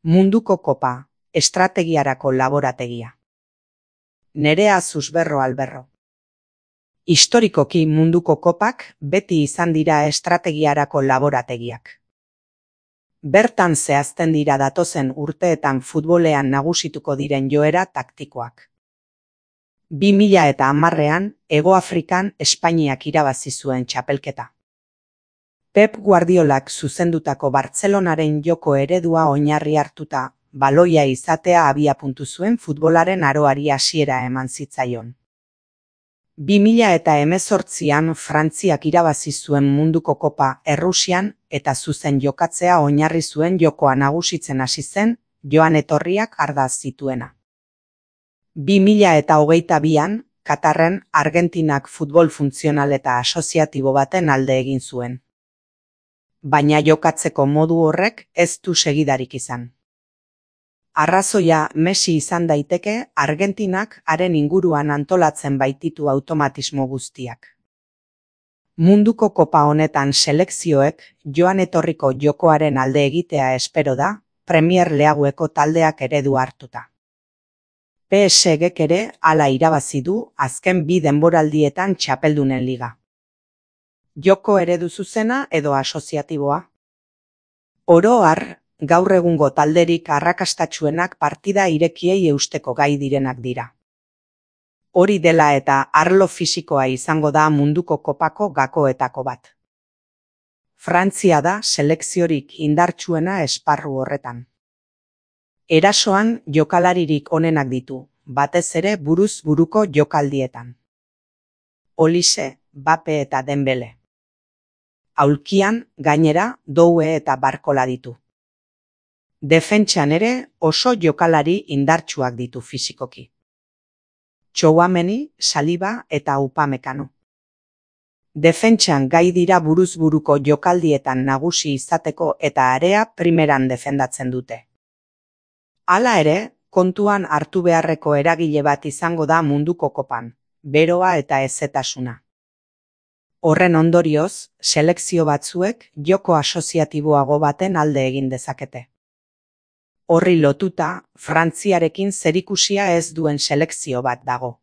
Munduko kopa, estrategiarako laborategia. Nerea Susberro Alberro. Historikoki munduko kopak beti izan dira estrategiarako laborategiak. Bertan zehazten dira datozen urteetan futbolean nagusituko diren joera taktikoak. 2010ean, Hego Afrikan Espainiak irabazi zuen txapelketa. Pep Guardiolak zuzendutako Bartzelonaren joko eredua oinarri hartuta, baloia izatea abiapuntu zuen futbolaren aroari hasiera eman zitzaion. 2018an Frantziak irabazi zuen munduko kopa Errusian eta zuzen jokatzea oinarri zuen jokoa nagusitzen hasi zen, joan etorriak ardaz zituena. 2022an, Katarren Argentinak futbol funtzional eta asoziatibo baten alde egin zuen. Baina jokatzeko modu horrek ez du segidarik izan. Arrazoia Messi izan daiteke, Argentinak haren inguruan antolatzen baititu automatismo guztiak. Munduko kopa honetan selekzioek joan etorriko jokoaren alde egitea espero da, Premier Leagueko taldeak eredu hartuta. PSG-ek ere hala irabazi du azken 2 denboraldietan txapeldunen liga. Joko eredu zuzena edo asoziatiboa? Oro har, gaur egungo talderik arrakastatsuenak partida irekiei eusteko gai direnak dira. Hori dela eta arlo fisikoa izango da munduko kopako gakoetako bat. Frantzia da selekziorik indartsuena esparru horretan. Erasoan jokalaririk onenak ditu, batez ere buruz buruko jokaldietan. Olise, Bape eta Dembele. Aulkian, gainera, Doue eta Barkola ditu. Defentsan ere oso jokalari indartsuak ditu fisikoki. Tchouaméni, Saliba eta Upamecano. Defentsan gai dira buruz buruko jokaldietan nagusi izateko eta area primeran defendatzen dute. Hala ere, kontuan hartu beharreko eragile bat izango da munduko kopan, beroa eta hezetasuna. Horren ondorioz, selekzio batzuek joko asoziatiboago baten alde egin dezakete. Horri lotuta, Frantziarekin zerikusia ez duen selekzio bat dago.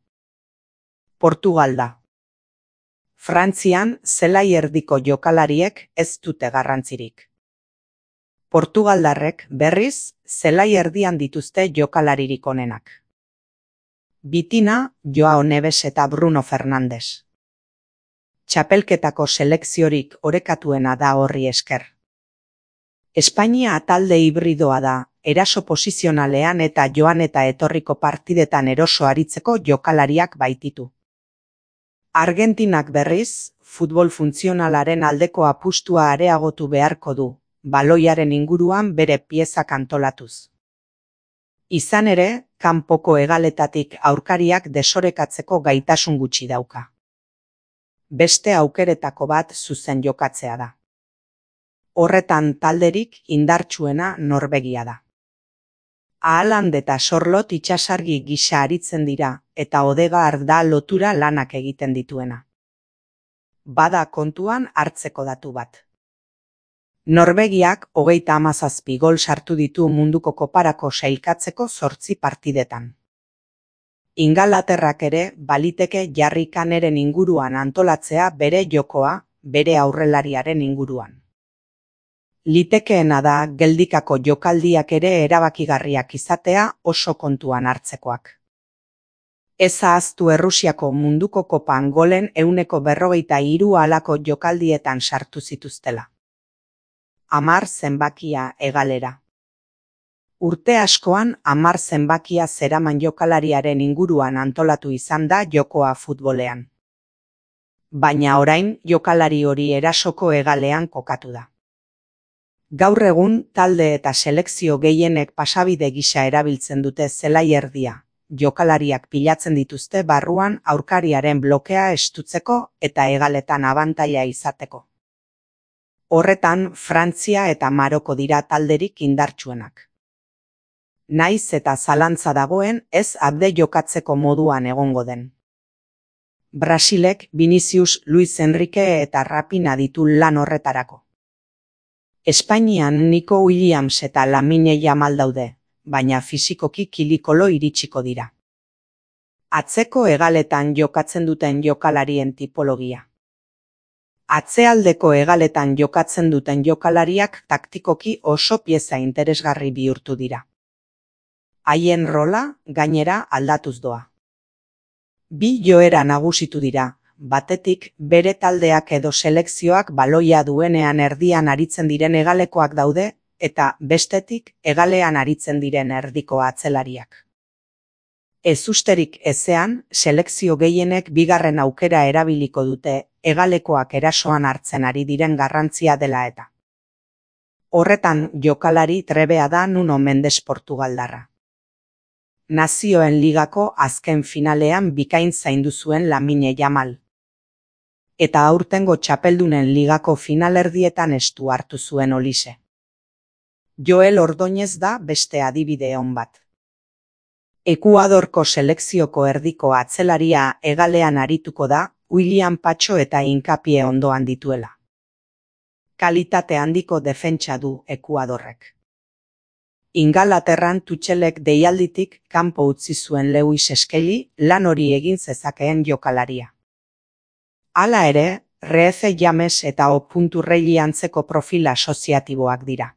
Portugal da. Frantzian zelai erdiko jokalariek ez dute garrantzirik. Portugaldarrek berriz zelai erdian dituzte jokalaririk onenak. Bitina, Joao Neves eta Bruno Fernandes. Txapelketako selekziorik orekatuena da horri esker. Espainia talde hibridoa da, eraso posizionalean eta joan eta etorriko partidetan eroso aritzeko jokalariak baititu. Argentinak berriz, futbol funtzionalaren aldeko apustua areagotu beharko du, baloiaren inguruan bere piezak antolatuz. Izan ere, kanpoko hegaletatik aurkariak desorekatzeko gaitasun gutxi dauka. Beste aukeretako bat zuzen jokatzea da. Horretan talderik indartsuena Norvegia da. Haaland eta Sorlot itsasargi gisa aritzen dira eta Odegaard da lotura lanak egiten dituena. Bada kontuan hartzeko datu bat. Norvegiak 37 gol sartu ditu munduko koparako sailkatzeko 8 partidetan. Ingalaterrak ere baliteke Jarry Kaneren inguruan antolatzea bere jokoa, bere aurrelariaren inguruan. Litekeena da geldikako jokaldiak ere erabakigarriak izatea oso kontuan hartzekoak. Ez ahaztu Errusiako munduko kopan golen 143 halako jokaldietan sartu zituztela. 10 zenbakia hegalera. Urte askoan 10 zenbakia zeraman jokalariaren inguruan antolatu izan da jokoa futbolean. Baina orain jokalari hori erasoko hegalean kokatu da. Gaur egun talde eta selekzio gehienek pasabide gisa erabiltzen dute zelai erdia, jokalariak pilatzen dituzte barruan aurkariaren blokea estutzeko eta hegaletan abantaila izateko. Horretan Frantzia eta Maroko dira talderik indartsuenak. Naiz eta zalantza dagoen ez abde jokatzeko moduan egongo den. Brasilek Vinicius, Luis Enrique eta Rapina ditu lan horretarako. Espainian Nico Williams eta Lamine Yamal daude, baina fisikoki kilikolo iritsiko dira. Atzeko hegaletan jokatzen duten jokalarien tipologia. Atzealdeko hegaletan jokatzen duten jokalariak taktikoki oso pieza interesgarri bihurtu dira. Haien rola, gainera, aldatuz doa. Bi joera nagusitu dira, batetik bere taldeak edo selekzioak baloia duenean erdian aritzen diren hegalekoak daude, eta bestetik hegalean aritzen diren erdiko atzelariak. Ezusterik ezean, selekzio gehienek bigarren aukera erabiliko dute hegalekoak erasoan hartzen ari diren garrantzia dela eta. Horretan jokalari trebea da Nuno Mendes portugaldarra. Nazioen Ligako azken finalean bikain zaindu zuen Lamine Yamal. Eta aurtengo txapeldunen ligako finalerdietan estu hartu zuen Olise. Joel Ordóñez da beste adibide on bat. Ekuadorko selekzioko erdiko atzelaria hegalean arituko da, William Pacho eta Hinkapie ondoan dituela. Kalitate handiko defentsa du Ekuadorrek. Ingalaterran Tuchelek deialditik kanpo utzi zuen Lewis Skelly lan hori egin zezakeen jokalaria. Hala ere, Reece James eta O. Reilly antzeko profil asoziatiboak dira.